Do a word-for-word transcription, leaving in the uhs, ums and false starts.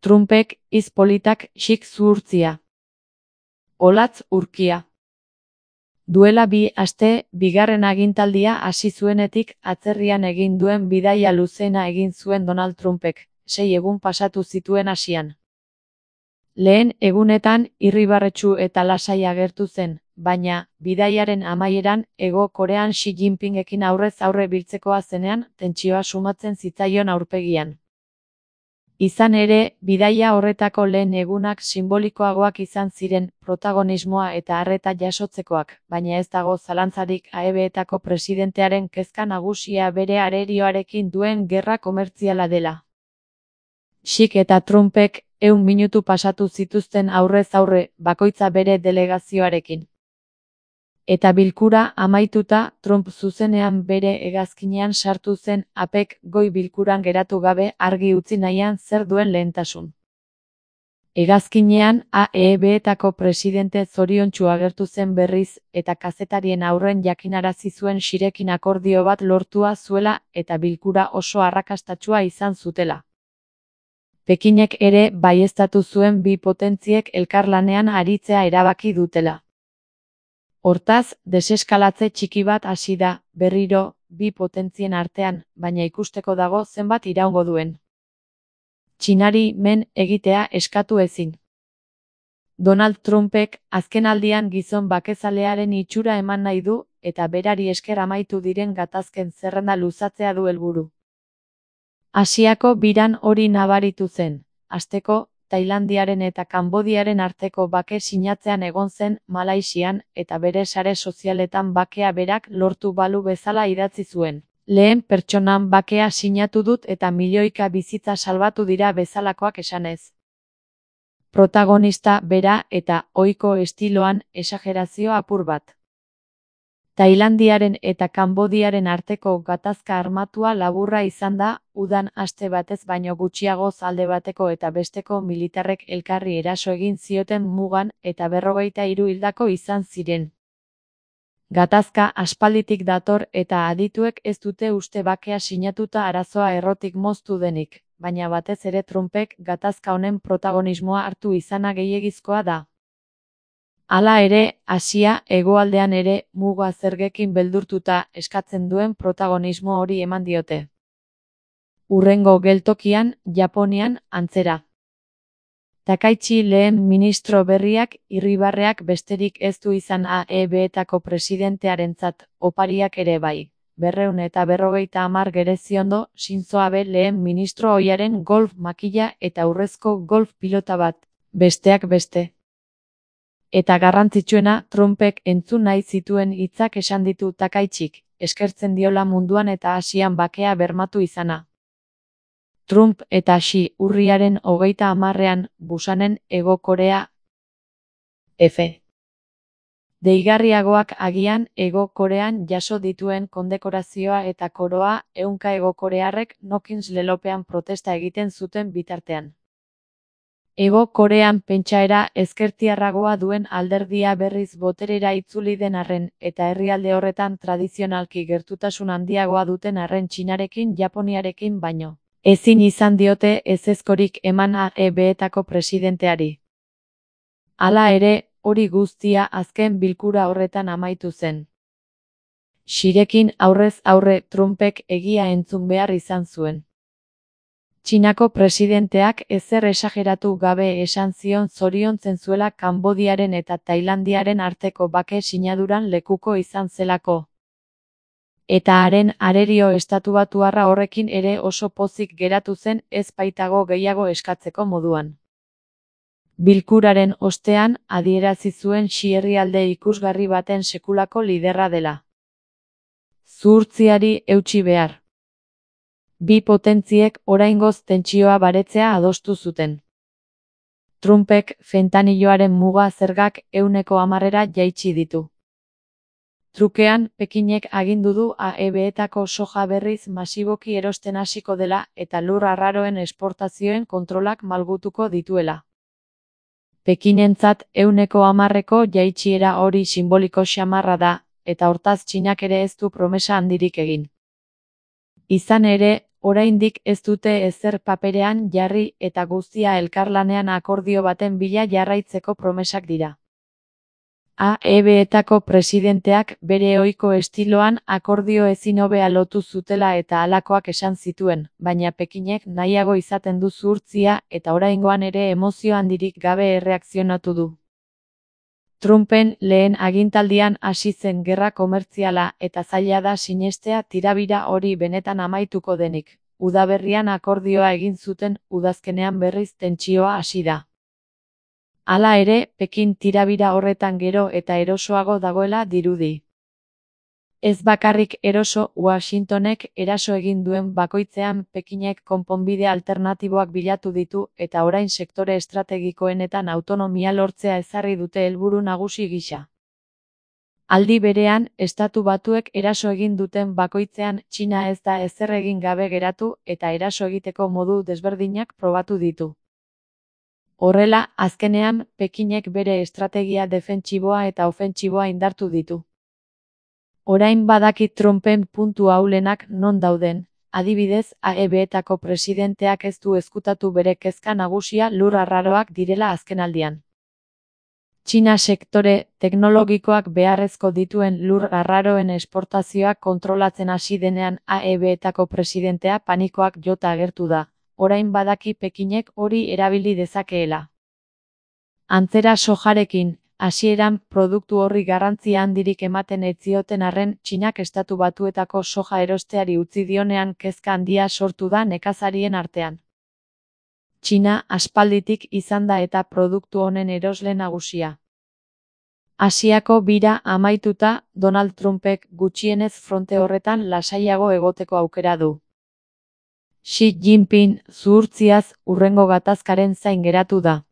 Trumpek hitz politak xik zuhurtzia. Olatz urkia. Duela bi aste, bigarren agintaldia hasi zuenetik atzerrian egin duen bidaia luzena egin zuen Donald Trumpek, sei egun pasatu zituen hasian. Lehen egunetan irribarretsu eta lasai agertu zen, baina, bidaiaren amaieran, Hego Korean Xi Jinpingekin aurrez aurre biltzekoa zenean, tentsioa sumatzen zitzaion aurpegian. Izan ere, bidaia horretako lehen egunak sinbolikoagoak izan ziren, protagonismoa eta arreta jasotzekoak, baina ez dago zalantzarik A E B-etako presidentearen kezka nagusia bere arerioarekin duen gerra komertziala dela. Xik eta Trumpek ehun minutu pasatu zituzten aurrez aurre, bakoitza bere delegazioarekin. Eta bilkura amaituta, Trump zuzenean bere hegazkinean sartu zen A P E C goi bilkuran geratu gabe argi utzi nahian zer duen lehentasun. Hegazkinean A E B-etako presidente zoriontsu agertu zen berriz, eta kazetarien aurren jakinarazi zuen Xirekin akordio bat lortua zuela eta bilkura oso arrakastatsua izan zutela. Pekinek ere baieztatu zuen bi potentziek elkarlanean aritzea erabaki dutela. Hortaz, deseskalatze txiki bat hasi da, berriro, bi potentzien artean, baina ikusteko dago zenbat iraungo duen. Txinari men egitea eskatu ezin. Donald Trumpek azkenaldian gizon bakezalearen itxura eman nahi du, eta berari esker amaitu diren gatazken zerrenda luzatzea du helburu. Asiako biran hori nabaritu zen, hasteko, Tailandiaren eta Kanbodiaren arteko bake sinatzean egon zen Malaisian, eta bere sare sozialetan bakea berak lortu balu bezala idatzi zuen. Lehen pertsonan bakea sinatu dut eta milioika bizitza salbatu dira bezalakoak esanez. Protagonista bera eta ohiko estiloan esagerazio apur bat. Tailandiaren eta Kanbodiaren arteko gatazka armatua laburra izan da, udan aste batez baino gutxiagoz alde bateko eta besteko militarrek elkarri eraso egin zioten mugan eta berrogeita hiru hildako izan ziren. Gatazka aspalditik dator eta adituek ez dute uste bakea sinatuta arazoa errotik moztu denik, baina batez ere Trumpek gatazka honen protagonismoa hartu izana gehiegizkoa da. Hala ere, Asia hegoaldean ere muga zergekin beldurtuta eskatzen duen protagonismo hori eman diote. Hurrengo geltokian, Japonian, antzera. Takaichi lehen ministro berriak irribarreak besterik ez du izan A E B-etako presidentearentzat, opariak ere bai. Berreun eta berrogeita hamar gereziondo, Shinzo Abe lehen ministro ohiaren golf makila eta urrezko golf pilota bat, besteak beste. Eta garrantzitsuena, Trumpek entzun nahi zituen hitzak esan ditu Takaichik, eskertzen diola munduan eta Asian bakea bermatu izana. Trump eta Xi urriaren hogeita hamarrean, Busanen, Hego Korea. F. Deigarriagoak agian, Hego Korean jaso dituen kondekorazioa eta koroa, ehunka Hego Korearrek Nokins lelopean protesta egiten zuten bitartean. Hego Korean pentsaera ezkertiarragoa duen alderdia berriz boterera itzuli den arren, eta herrialde horretan tradizionalki gertutasun handiagoa duten arren Txinarekin Japoniarekin baino. Ezin izan diote ezezkorik eman A E B-etako presidenteari. Hala ere, hori guztia azken bilkura horretan amaitu zen. Xirekin aurrez aurre Trumpek egia entzun behar izan zuen. Txinako presidenteak ezer esageratu gabe esan zion zoriontzen zuela Kanbodiaren eta Tailandiaren arteko bake sinaduran lekuko izan zelako. Eta haren arerio estatubatuarra horrekin ere oso pozik geratu zen ez baitago gehiago eskatzeko moduan. Bilkuraren ostean adierazi zuen Xi herrialde ikusgarri baten sekulako liderra dela. Zuhurtziari eutsi behar. Bi potentziek oraingoz tentsioa baretzea adostu zuten. Trumpek fentaniloaren muga zergak ehuneko hamarera jaitsi ditu. Trukean, Pekinek agindu du A E B-etako soja berriz masiboki erosten hasiko dela eta lur arraroen esportazioen kontrolak malgutuko dituela. Pekinentzat ehuneko hamarreko jaitsiera hori simboliko xamarra da, eta hortaz Txinak ere ez du promesa handirik egin. Izan ere, Oraindik ez dute ezer paperean jarri eta guztia elkarlanean akordio baten bila jarraitzeko promesak dira. A E B-etako presidenteak bere ohiko estiloan akordio ezin hobea lotu zutela eta halakoak esan zituen, baina Pekinek nahiago izaten du zuhurtzia eta oraingoan ere emozio handirik gabe erreakzionatu du. Trumpen lehen agintaldian hasi zen gerra komertziala eta zaila da sinestea tirabira hori benetan amaituko denik. Udaberrian akordioa egin zuten, udazkenean berriz tentsioa hasi da. Hala ere, Pekin tirabira horretan gero eta erosoago dagoela dirudi. Ez bakarrik eroso, Washingtonek eraso egin duen bakoitzean Pekinek konponbide alternatiboak bilatu ditu eta orain sektore estrategikoenetan autonomia lortzea ezarri dute helburu nagusi gisa. Aldi berean, Estatu Batuek eraso egin duten bakoitzean Txina ez da ezer egin gabe geratu eta eraso egiteko modu desberdinak probatu ditu. Horrela, azkenean, Pekinek bere estrategia defentsiboa eta ofentsiboa indartu ditu. Orain badakit Trumpen puntu ahulenak non dauden, adibidez, A E B-etako presidenteak ez du ezkutatu bere kezka nagusia lur arraroak direla azkenaldian. Txina sektore teknologikoak beharrezko dituen lur arraroen esportazioak kontrolatzen hasi denean A E B-etako presidentea panikoak jota agertu da, orain badaki Pekinek hori erabili dezakeela. Antzera sojarekin, hasieran produktu horri garrantzia handirik ematen ez zioten arren Txinak Estatu Batuetako soja erosteari utzi dionean kezka handia sortu da nekazarien artean. Txina aspalditik izan da eta produktu honen erosle nagusia. Asiako bira amaituta, Donald Trumpek gutxienez fronte horretan lasaiago egoteko aukera du. Xi Jinping zuhurtziaz hurrengo gatazkaren zain geratu da.